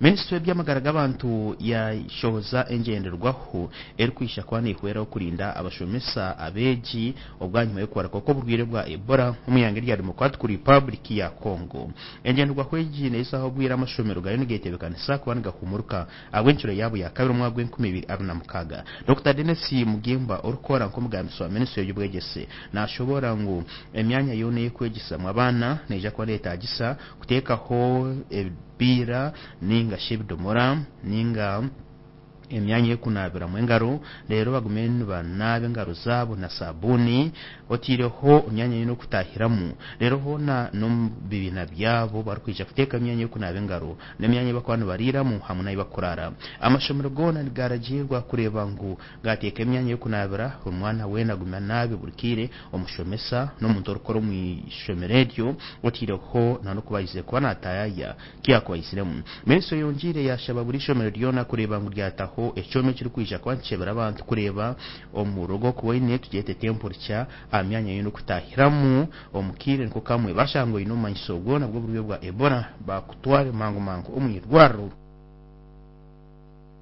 Minisitule y'eby'amagara g'abantu yashohoza engyenderwaho erikwija kuba neehwera okurinda abashomesa abeegi obwanyima y'okubaruka kw'oburwaire bwa Ebola omu ihanga erya Democratic Republic ya Congo. Engyenderwaho egi neezaho obwire amashomero gariyo nigetebeekanisa kuba nigahumuruka ahabw'encuro yaabo ya kabiri omwaka gw'enkumi ibiri abiri na mukaaga. Dokita Denis Mugimba orikukora nk'omugambirizi wa minisitule y'eby'obwegyese nashoboora ngu emyanya yoona ey'okwegyesezamu abaana neija kuba neyetaagisa kuteekaho ebipiira ninga shi ebidomora ninga emyanya y'okunaabiramu engaro reero bagume nibanaaba engaro zaabo na saabuuni otaireho emyanya yoona okutaahiramu reero hoona n'omu bibiina byabo barikwija kuteeka emyanya y'okunaaba engaro n'emyanya ei barikuba nibariiramu hamwe n'ahu barikuraara. Amashomero goona nigaragiirwa kureeba ngu gaateeka emyanya y'okunaabira buri mwana weena agume anaabe buri kaire omushomesa n'omuntu orikukora omu ishomero eryo otaireho n'okuba aizire kuba naataayaaya ku yaakuba aiziremu. Minisitule eyongiire yaashaba buri ishomero ryona kureeba ngu ryataho ekyoma ekirikwija kuba nikikyebera abantu kureeba omuriro ogu orikuba oine tugyete temperature aha myanya yoona okutaahiramu omu kaire niko kamwe bashanga oine obumanyiso bwona bw'oburwaire bwa Ebola bakutware mangu mangu omu irwariro.